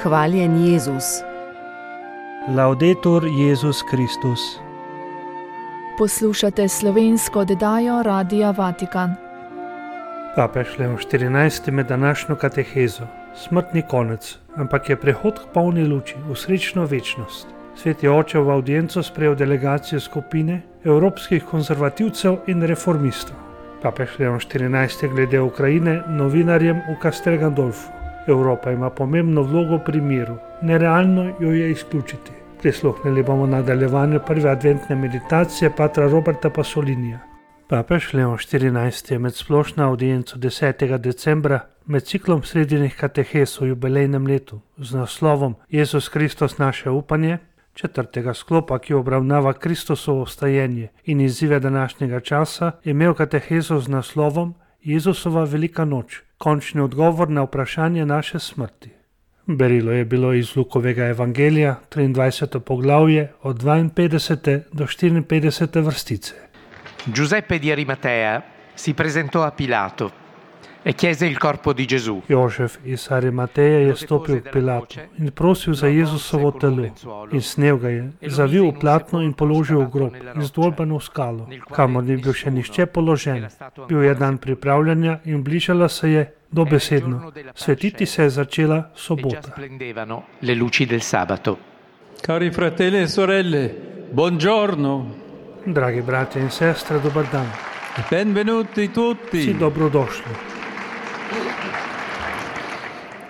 Hvaljen Jezus. Laudetur Jezus Kristus. Poslušate slovensko oddajo Radia Vatikan. Papež Leon XIV med današnjo katehezo. Smrtni konec, ampak je prehod k polni luči, v srečno večnost. Sveti oče v avdienco sprejel delegacijo skupine evropskih konzervativcev in reformistov. Papež Leon XIV glede Ukrajine novinarjem v Castel Gandolfu. Evropa ima pomembno vlogo pri miru, nerealno jo je izključiti. Prisluhnili bomo nadaljevanju prve adventne meditacije patra Roberta Pasolinija. Papež Leon XIV je med splošno avdienco 10. decembra med ciklom srednjih katehes v jubilejnem letu z naslovom Jezus Kristus naše upanje, četrtega sklopa, ki obravnava Kristusovo vstajenje in izzive današnjega časa, imel katehezo z naslovom Jezusova velika noč, končni odgovor na vprašanje naše smrti. Berilo je bilo iz Lukovega evangelija, 23. poglavje, od 52. do 54. vrstice. Giuseppe di Arimatea si presentò a Pilato e chiese il corpo di Gesù. Jožef iz Arimateja je stopil k Pilatu in prosil za Jezusovo telo in snel ga je, zavil v platno in položil v grob, izdolbano v skalo, kamor ni bil še nihče položen. Bil je dan pripravljanja in bližala se je dobesedno. Svetiti se je začela sobota. Le luci del sabato. Cari fratelli e sorelle, buongiorno. Dragi bratje in sestre, dober dan. Benvenuti tutti. Vsi dobrodošli.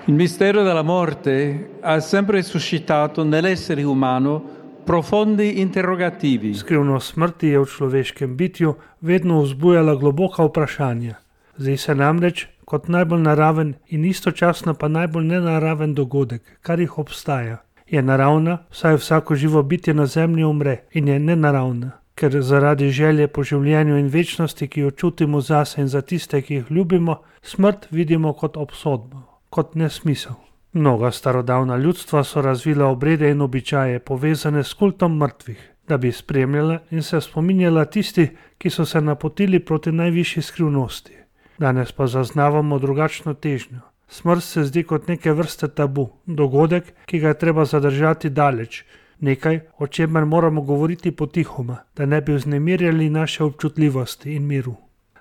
Il mistero della morte ha sempre suscitato nell'essere umano profondi interrogativi. Skrivnost smrti je v človeškem bitju vedno vzbujala globoka vprašanja. Zdi se namreč kot najbolj naraven in istočasno pa najbolj nenaraven dogodek, kar jih obstaja. Je naravna, saj vsako živo bitje na zemlji umre, in je nenaravna, ker zaradi želje po življenju in večnosti, ki jo čutimo zase in za tiste, ki jih ljubimo, smrt vidimo kot obsodbo, kot nesmisel. Mnoga starodavna ljudstva so razvila obrede in običaje povezane s kultom mrtvih, da bi spremljala in se spominjala tisti, ki so se napotili proti najvišji skrivnosti. Danes pa zaznavamo drugačno težnjo. Smrt se zdi kot neke vrste tabu, dogodek, ki ga je treba zadržati daleč, nekaj, o čemer moramo govoriti potihoma, da ne bi vznemirjali naše občutljivosti in miru.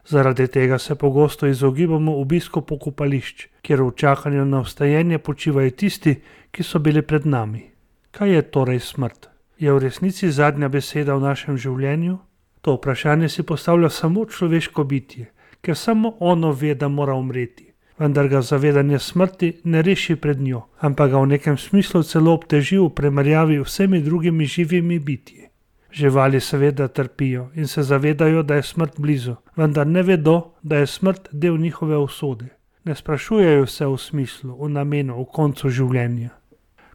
Zaradi tega se pogosto izogibamo obisku pokopališč, kjer v čakanju na vstajenje počivajo tisti, ki so bili pred nami. Kaj je torej smrt? Je v resnici zadnja beseda v našem življenju? To vprašanje si postavlja samo človeško bitje, ker samo ono ve, da mora umreti. Vendar ga zavedanje smrti ne reši pred njo, ampak ga v nekem smislu celo obteži v primerjavi vsemi drugimi živimi bitji. Živali seveda trpijo in se zavedajo, da je smrt blizu, vendar ne vedo, da je smrt del njihove usode. Ne sprašujejo se v smislu, v namenu, v koncu življenja.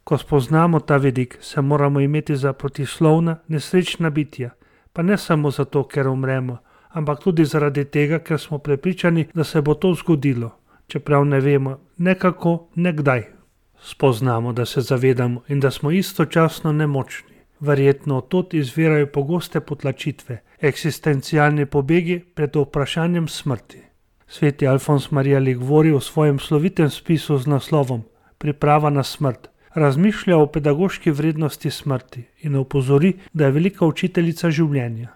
Ko spoznamo ta vidik, se moramo imeti za protislovna, nesrečna bitja, pa ne samo zato, ker umremo, ampak tudi zaradi tega, ker smo prepričani, da se bo to zgodilo, čeprav ne vemo ne kako, ne kdaj. Spoznamo, da se zavedamo in da smo istočasno nemočni. Verjetno odtod izvirajo pogoste potlačitve, eksistencialni pobegi pred vprašanjem smrti. Sveti Alfons Maria Liguori v svojem slovitem spisu z naslovom Priprava na smrt razmišlja o pedagoški vrednosti smrti in opozori, da je velika učiteljica življenja.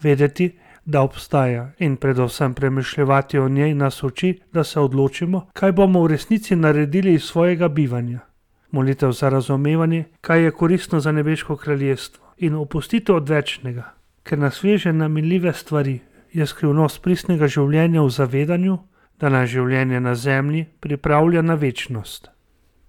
Vedeti, da obstaja in predvsem premišljevati o njej nas uči, da se odločimo, kaj bomo v resnici naredili iz svojega bivanja. Molitev za razumevanje, kaj je koristno za nebeško kraljestvo in opustitev odvečnega, ker nas veže na minljive stvari, je skrivnost pristnega življenja v zavedanju, da nas življenje na zemlji pripravlja na večnost.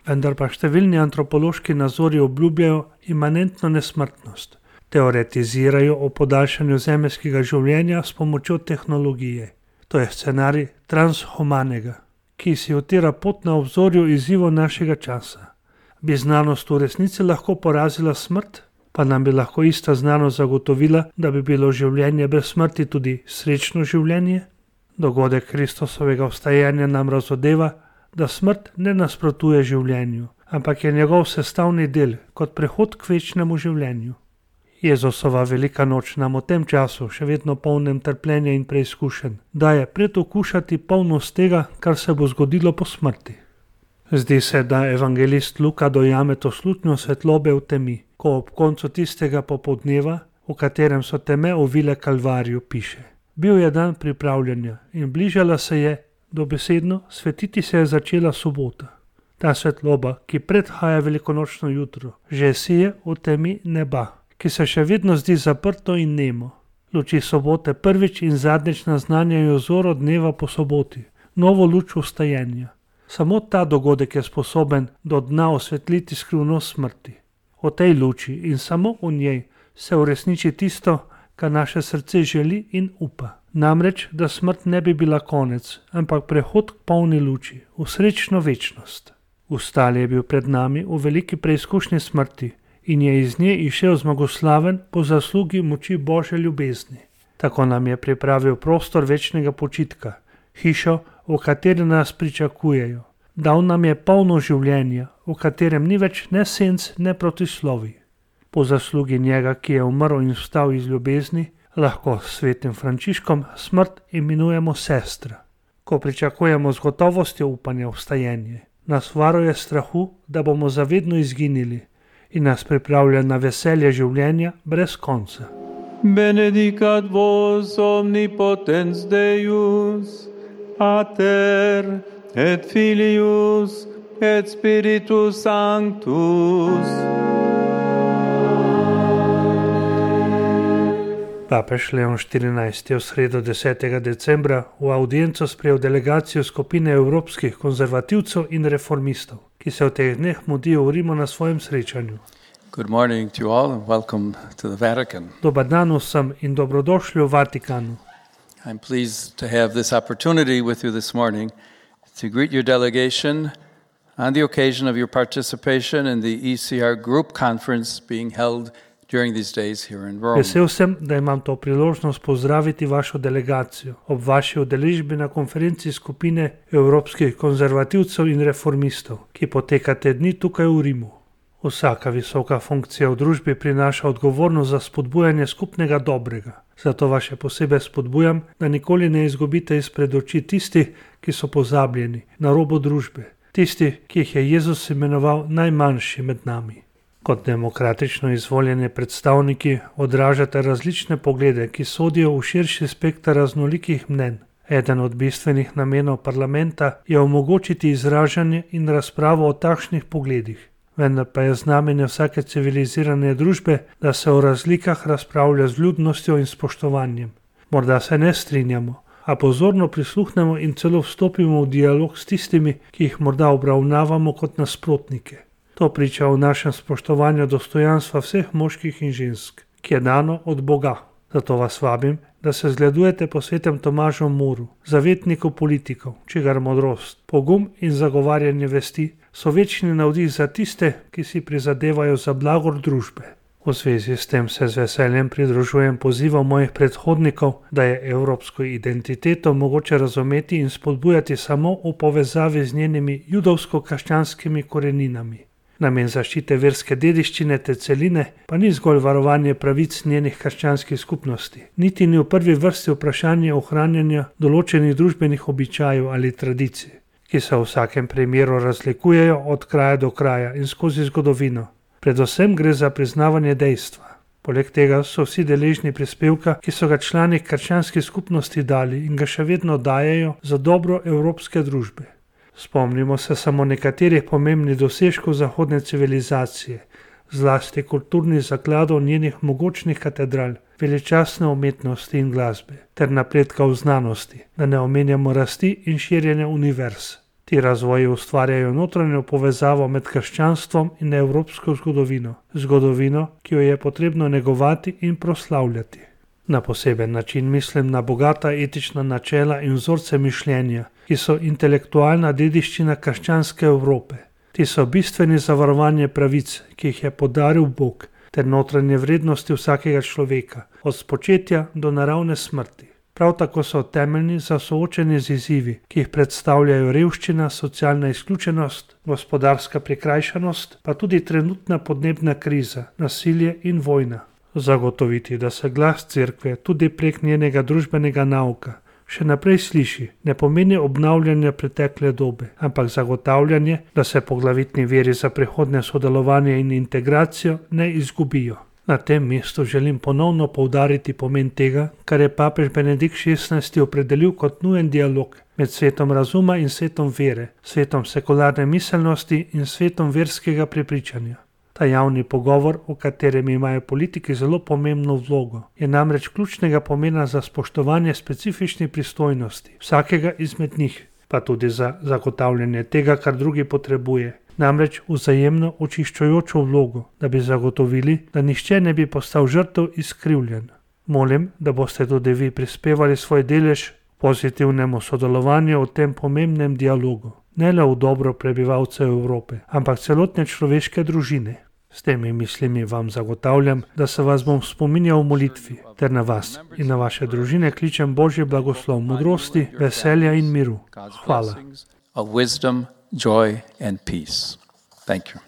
Vendar pa številni antropološki nazori obljubljajo imanentno nesmrtnost. Teoretizirajo o podaljšanju zemeljskega življenja s pomočjo tehnologije. To je scenarij transhumanega, ki si utira pot na obzorju izzivov našega časa. Bi znanost v resnici lahko porazila smrt? Pa nam bi lahko ista znanost zagotovila, da bi bilo življenje brez smrti tudi srečno življenje? Dogodek Kristusovega vstajenja nam razodeva, da smrt ne nasprotuje življenju, ampak je njegov sestavni del kot prehod k večnemu življenju. Jezusova velika noč nam v tem času, še vedno polnem trpljenja in preizkušenj, daje predokušati polnost tega, kar se bo zgodilo po smrti. Zdi se, da evangelist Luka dojame to slutnjo svetlobe v temi, ko ob koncu tistega popoldneva, v katerem so teme ovile Kalvarijo, piše: Bil je dan pripravljanja in bližala se je, dobesedno, svetiti se je začela sobota. Ta svetloba, ki predhaja velikonočno jutro, že sije v temi neba, ki se še vedno zdi zaprto in nemo. Luči sobote prvič in zadnjič naznanjajo zoro dneva po soboti, novo luč vstajenja. Samo ta dogodek je sposoben do dna osvetliti skrivnost smrti. O tej luči in samo v njej se uresniči tisto, kar naše srce želi in upa. Namreč, da smrt ne bi bila konec, ampak prehod k polni luči, v srečno večnost. Vstal je bil pred nami v veliki preizkušnji smrti in je iz nje išel zmagoslaven po zaslugi moči Božje ljubezni. Tako nam je pripravil prostor večnega počitka, hišo, v kateri nas pričakujejo. Dal nam je polno življenja, v katerem ni več ne senc, ne protislovij. Po zaslugi njega, ki je umrl in vstal iz ljubezni, lahko s svetim Frančiškom smrt imenujemo sestra. Ko pričakujemo z gotovostjo upanja vstajenje, nas varuje strahu, da bomo zavedno izginili in nas pripravlja na veselje življenja brez konca. Benedicat vos omnipotens Deus, Pater et Filius et Spiritus Sanctus. Papež Leon XIV je v sredo 10. decembra v audienco sprejel delegacijo skupine evropskih konzervativcev in reformistov, ki se v teh dneh mudijo v Rimu na svojem srečanju. Good morning to you all and welcome to the Vatican. Dobar dan vsem in dobrodošli v Vatikanu. I'm pleased to have this opportunity with you this morning to greet your delegation on the occasion of your participation in the ECR group conference being held during these days here in Rome. Vesel sem, da imam to priložnost pozdraviti vašo delegacijo ob vaši udeležbi na konferenci skupine evropskih konzervativcev in reformistov, ki poteka te dni tukaj v Rimu. Vsaka visoka funkcija v družbi prinaša odgovornost za spodbujanje skupnega dobrega. Zato vas še posebej spodbujam, da nikoli ne izgubite izpred oči tisti, ki so pozabljeni, na robu družbe, tisti, ki jih je Jezus imenoval najmanjši med nami. Kot demokratično izvoljeni predstavniki odražate različne poglede, ki sodijo v širši spekter raznolikih mnenj. Eden od bistvenih namenov parlamenta je omogočiti izražanje in razpravo o takšnih pogledih. Vendar pa je znamenje vsake civilizirane družbe, da se o razlikah razpravlja z vljudnostjo in spoštovanjem. Morda se ne strinjamo, a pozorno prisluhnemo in celo vstopimo v dialog s tistimi, ki jih morda obravnavamo kot nasprotnike. To priča o našem spoštovanju dostojanstva vseh moških in žensk, ki je dano od Boga. Zato vas vabim, da se zgledujete po svetem Tomažu Moru, zavetniku politikov, čigar modrost, pogum in zagovarjanje vesti so večni navdih za tiste, ki si prizadevajo za blagor družbe. V zvezi s tem se z veseljem pridružujem pozivom mojih predhodnikov, da je evropsko identiteto mogoče razumeti in spodbujati samo v povezavi z njenimi judovsko-krščanskimi koreninami. Namen zaščite verske dediščine te celine pa ni zgolj varovanje pravic njenih krščanskih skupnosti, niti ni v prvi vrsti vprašanje ohranjanja določenih družbenih običajev ali tradicij, ki se v vsakem primeru razlikujejo od kraja do kraja in skozi zgodovino. Predvsem gre za priznavanje dejstva. Poleg tega so vsi deležni prispevka, ki so ga člani krščanskih skupnosti dali in ga še vedno dajejo za dobro evropske družbe. Spomnimo se samo nekaterih pomembnih dosežkov zahodne civilizacije, zlasti kulturnih zakladov njenih mogočnih katedral, veličastne umetnosti in glasbe, ter napredka v znanosti, da ne omenjamo rasti in širjenja univerz. Ti razvoji ustvarjajo notranjo povezavo med krščanstvom in evropsko zgodovino, ki jo je potrebno negovati in proslavljati. Na poseben način mislim na bogata etična načela in vzorce mišljenja, ki so intelektualna dediščina krščanske Evrope. Ti so bistveni za varovanje pravic, ki jih je podaril Bog, ter notranje vrednosti vsakega človeka, od spočetja do naravne smrti. Prav tako so temeljni za soočenje z izzivi, ki jih predstavljajo revščina, socialna izključenost, gospodarska prikrajšanost, pa tudi trenutna podnebna kriza, nasilje in vojna. Zagotoviti, da se glas cerkve tudi prek njenega družbenega nauka še naprej sliši, ne pomeni obnavljanja pretekle dobe, ampak zagotavljanje, da se poglavitni viri za prihodnje sodelovanje in integracijo ne izgubijo. Na tem mestu želim ponovno poudariti pomen tega, kar je papež Benedikt XVI opredelil kot nujen dialog med svetom razuma in svetom vere, svetom sekularne miselnosti in svetom verskega prepričanja. Ta javni pogovor, v katerem imajo politiki zelo pomembno vlogo, je namreč ključnega pomena za spoštovanje specifičnih pristojnosti vsakega izmed njih, pa tudi za zagotavljanje tega, kar drugi potrebuje. Namreč vzajemno očiščujočo vlogo, da bi zagotovili, da nihče ne bi postal žrtev izkrivljen. Molim, da boste tudi vi prispevali svoj delež pozitivnemu sodelovanju v tem pomembnem dialogu, ne le v dobro prebivalcev Evrope, ampak celotne človeške družine. S temi mislimi vam zagotavljam, da se vas bom spominjal v molitvi, ter na vas in na vaše družine kličem Božji blagoslov modrosti, veselja in miru. Hvala. Joy and peace. Thank you.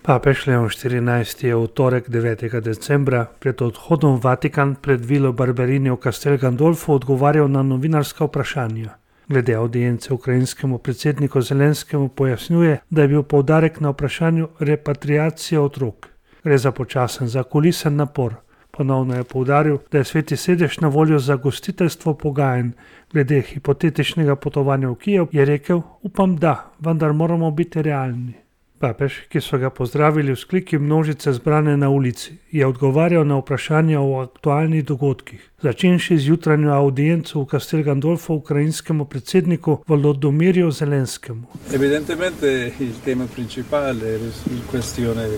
Papež Leon XIV je v torek 9. decembra pred odhodom v Vatikan pred vilo Barberini v Castel Gandolfo odgovarjal na novinarska vprašanja. Glede audience ukrajinskemu predsedniku Zelenskemu pojasnjuje, da je bil poudarek na vprašanju repatriacije otrok. Gre za počasen, zakulisen napor. Ponovno je poudaril, da je Sveti sedež na voljo za gostiteljstvo pogajanj. Glede hipotetičnega potovanja v Kijev je rekel, upam da, vendar moramo biti realni. Papež, ki so ga pozdravili vzkliki množice zbrane na ulici, je odgovarjal na vprašanja o aktualnih dogodkih, začenši z jutranjo audienco v Castel Gandolfo ukrajinskemu predsedniku Volodymyrju Zelenskemu. Evidentemente il tema principale è la questione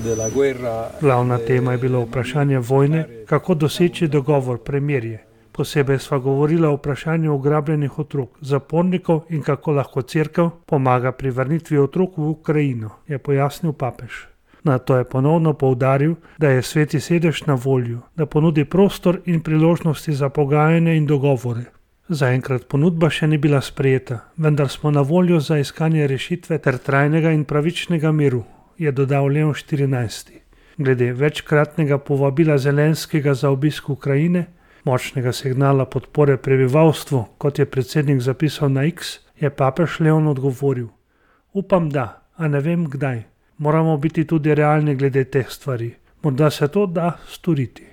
della guerra. Glavna tema je bilo vprašanje vojne, kako doseči dogovor, premirje. Posebej sva govorila o vprašanju ugrabljenih otrok, zapornikov in kako lahko cerkev pomaga pri vrnitvi otrok v Ukrajino, je pojasnil papež. Nato je ponovno poudaril, da je Sveti sedež na voljo, da ponudi prostor in priložnosti za pogajanje in dogovore. Zaenkrat ponudba še ni bila sprejeta, vendar smo na voljo za iskanje rešitve ter trajnega in pravičnega miru, je dodal Leon XIV. Glede večkratnega povabila Zelenskega za obisk Ukrajine, močnega signala podpore prebivalstvu, kot je predsednik zapisal na X, je papež Leon odgovoril: upam da, a ne vem kdaj. Moramo biti tudi realni glede teh stvari. Morda se to da storiti.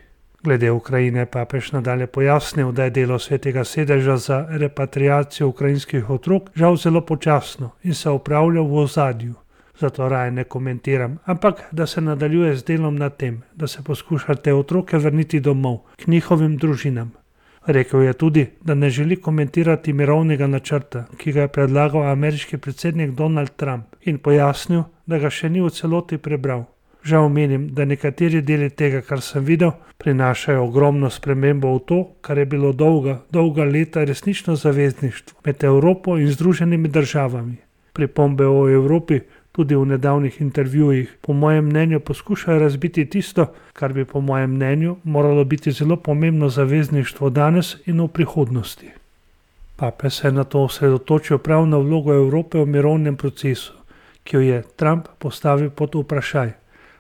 Glede Ukrajine je papež nadalje pojasnil, da je delo Svetega sedeža za repatriacijo ukrajinskih otrok žal zelo počasno in se opravlja v ozadju. Zato raje ne komentiram, ampak da se nadaljuje z delom na tem, da se poskuša te otroke vrniti domov, k njihovim družinam. Rekel je tudi, da ne želi komentirati mirovnega načrta, ki ga je predlagal ameriški predsednik Donald Trump, in pojasnil, da ga še ni v celoti prebral. Žal menim, da nekateri deli tega, kar sem videl, prinašajo ogromno spremembo v to, kar je bilo dolga leta resnično zavezništvo med Evropo in Združenimi državami. Pripombe o Evropi tudi v nedavnih intervjujih po mojem mnenju poskušajo razbiti tisto, kar bi po mojem mnenju moralo biti zelo pomembno zavezništvo danes in v prihodnosti. Papež se je nato osredotočil prav na vlogo Evrope v mirovnem procesu, ki jo je Trump postavil pod vprašaj.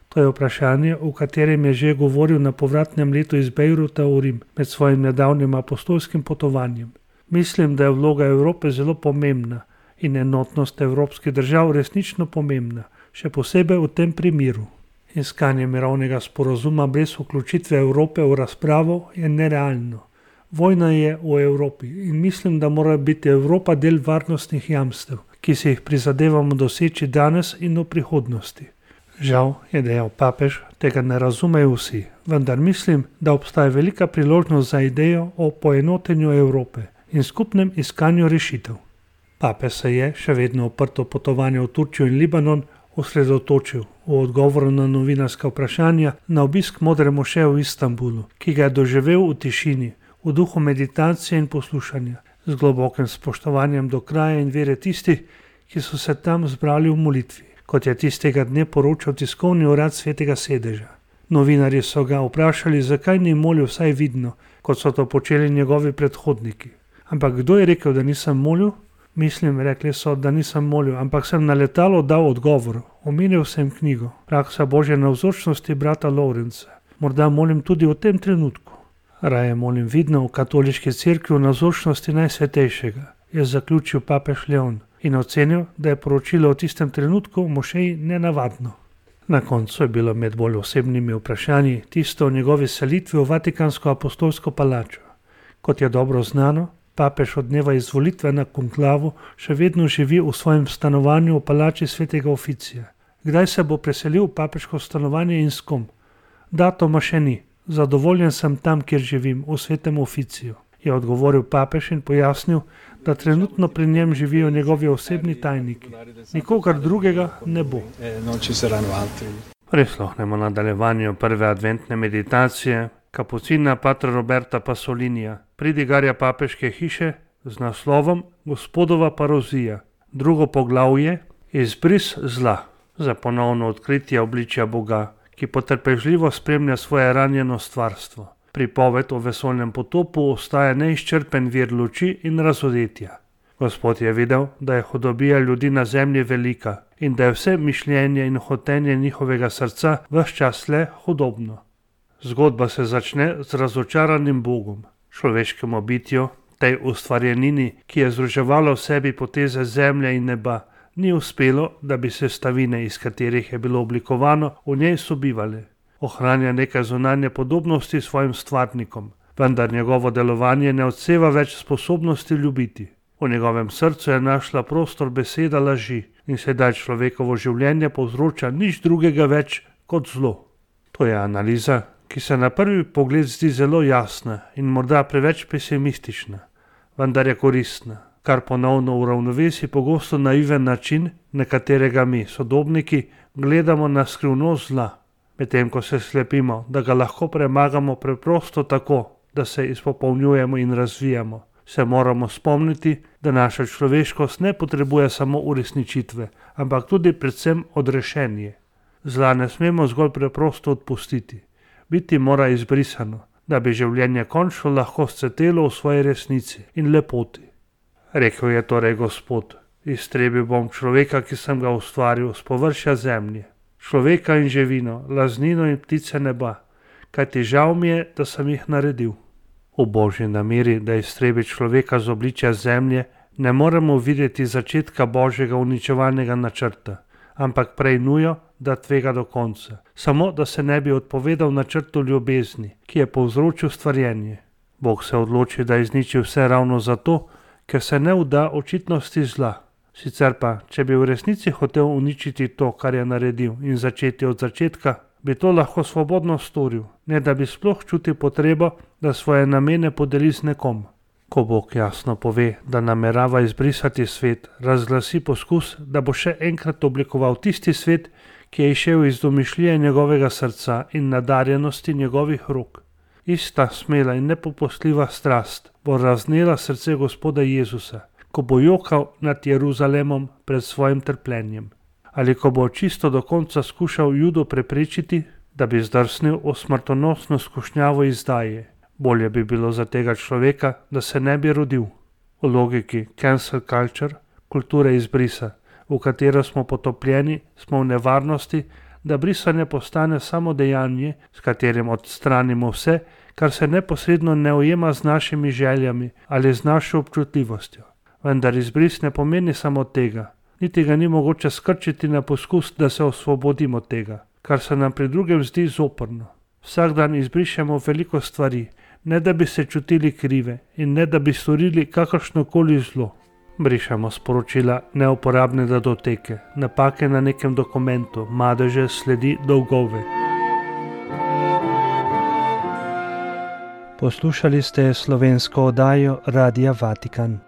To je vprašanje, o katerem je že govoril na povratnem letu iz Bejruta v Rim med svojim nedavnim apostolskim potovanjem. Mislim, da je vloga Evrope zelo pomembna in enotnost evropskih držav resnično pomembna, še posebej v tem primeru. Iskanje mirovnega sporazuma brez vključitve Evrope v razpravo je nerealno. Vojna je v Evropi in mislim, da mora biti Evropa del varnostnih jamstev, ki si jih prizadevamo doseči danes in v prihodnosti. Žal, je dejal papež, tega ne razumejo vsi, vendar mislim, da obstaja velika priložnost za idejo o poenotenju Evrope in skupnem iskanju rešitev. Papež se je, še vedno oprto potovanje v Turčijo in Libanon, osredotočil v odgovoru na novinarska vprašanja na obisk Modre mošeje v Istanbulu, ki ga je doživel v tišini, v duhu meditacije in poslušanja, z globokim spoštovanjem do kraja in vere tistih, ki so se tam zbrali v molitvi, kot je tistega dne poročal tiskovni urad Svetega sedeža. Novinarji so ga vprašali, zakaj ni molil vsaj vidno, kot so to počeli njegovi predhodniki. Ampak kdo je rekel, da nisem molil? Mislim, rekli so, da nisem molil, ampak sem na letalo dal odgovor. Omenil sem knjigo, Praksa Božje navzočnosti brata Lawrenca. Morda molim tudi v tem trenutku. Raje molim vidno v katoliški cerkvi v navzočnosti Najsvetejšega, je zaključil papež Leon in ocenil, da je poročilo v tistem trenutku v mošeji nenavadno. Na koncu je bilo med bolj osebnimi vprašanji tisto o njegovi selitvi v Vatikansko apostolsko palačo. Kot je dobro znano, papež od dneva izvolitve na konklavu še vedno živi v svojem stanovanju v palači svetega Oficija. Kdaj se bo preselil v papeško stanovanje in s kom? Datuma še ni. Zadovoljen sem tam, kjer živim, v svetem Oficiju, je odgovoril papež in pojasnil, da trenutno pri njem živijo njegovi osebni tajniki. Nikogar drugega ne bo. Prisluhnemo nadaljevanju prve adventne meditacije kapucina patra Roberta Pasolinija, pridigarja papeške hiše z naslovom Gospodova parozija. Drugo poglavje, izbris zla, za ponovno odkritje obličja Boga, ki potrpežljivo spremlja svoje ranjeno stvarstvo. Pripoved o vesoljnem potopu ostaja neizčrpen vir luči in razodetja. Gospod je videl, da je hudobija ljudi na zemlji velika in da je vse mišljenje in hotenje njihovega srca ves čas le hudobno. Zgodba se začne z razočaranim Bogom, človeškemu bitju, tej ustvarjenini, ki je združevala v sebi poteze zemlje in neba, ni uspelo, da bi sestavine, iz katerih je bilo oblikovano, v njej sobivale. Ohranja nekaj zunanje podobnosti s svojim stvarnikom, vendar njegovo delovanje ne odseva več sposobnosti ljubiti. V njegovem srcu je našla prostor beseda laži in sedaj človekovo življenje povzroča nič drugega več kot zlo. To je analiza, ki se na prvi pogled zdi zelo jasna in morda preveč pesimistična, vendar je koristna, kar ponovno uravnovesi pogosto naiven način, na katerega mi, sodobniki, gledamo na skrivnost zla. Medtem ko se slepimo, da ga lahko premagamo preprosto tako, da se izpopolnjujemo in razvijamo, se moramo spomniti, da naša človeškost ne potrebuje samo uresničitve, ampak tudi predvsem odrešenje. Zla ne smemo zgolj preprosto odpustiti. Biti mora izbrisano, da bi življenje končno lahko scvetelo v svoji resnici in lepoti. Rekel je torej Gospod, iztrebil bom človeka, ki sem ga ustvaril z površja zemlje, človeka in živino, laznino in ptice neba, kajti žal mi je, da sem jih naredil. V Božji nameri, da iztrebi človeka z obličja zemlje, ne moremo videti začetka Božjega uničevalnega načrta, ampak prej nujo, da tvega do konca, samo da se ne bi odpovedal načrtu ljubezni, ki je povzročil stvarjenje. Bog se odloči, da izniči vse ravno zato, ker se ne vda očitnosti zla. Sicer pa, če bi v resnici hotel uničiti to, kar je naredil in začeti od začetka, bi to lahko svobodno storil, ne da bi sploh čutil potrebo, da svoje namene podeli z nekom. Ko Bog jasno pove, da namerava izbrisati svet, razglasi poskus, da bo še enkrat oblikoval tisti svet, ki je izšel iz domišljije njegovega srca in nadarjenosti njegovih rok. Ista smela in nepopustljiva strast bo raznela srce Gospoda Jezusa, ko bo jokal nad Jeruzalemom pred svojim trpljenjem. Ali ko bo čisto do konca skušal Judo preprečiti, da bi zdrsnil v smrtonosno skušnjavo izdaje. Bolje bi bilo za tega človeka, da se ne bi rodil. V logiki cancel culture, kulture izbrisa, v katero smo potopljeni, smo v nevarnosti, da brisanje postane samo dejanje, s katerim odstranimo vse, kar se neposredno ne ujema z našimi željami ali z našo občutljivostjo. Vendar izbris ne pomeni samo tega, niti ga ni mogoče skrčiti na poskus, da se osvobodimo tega, kar se nam pri drugem zdi zoprno. Vsak dan izbrišemo veliko stvari, ne da bi se čutili krive in ne da bi storili kakršnokoli zlo. Brišemo sporočila, neuporabne datoteke, napake na nekem dokumentu, madeže, sledi, dolgove. Poslušali ste slovensko oddajo Radia Vatikan.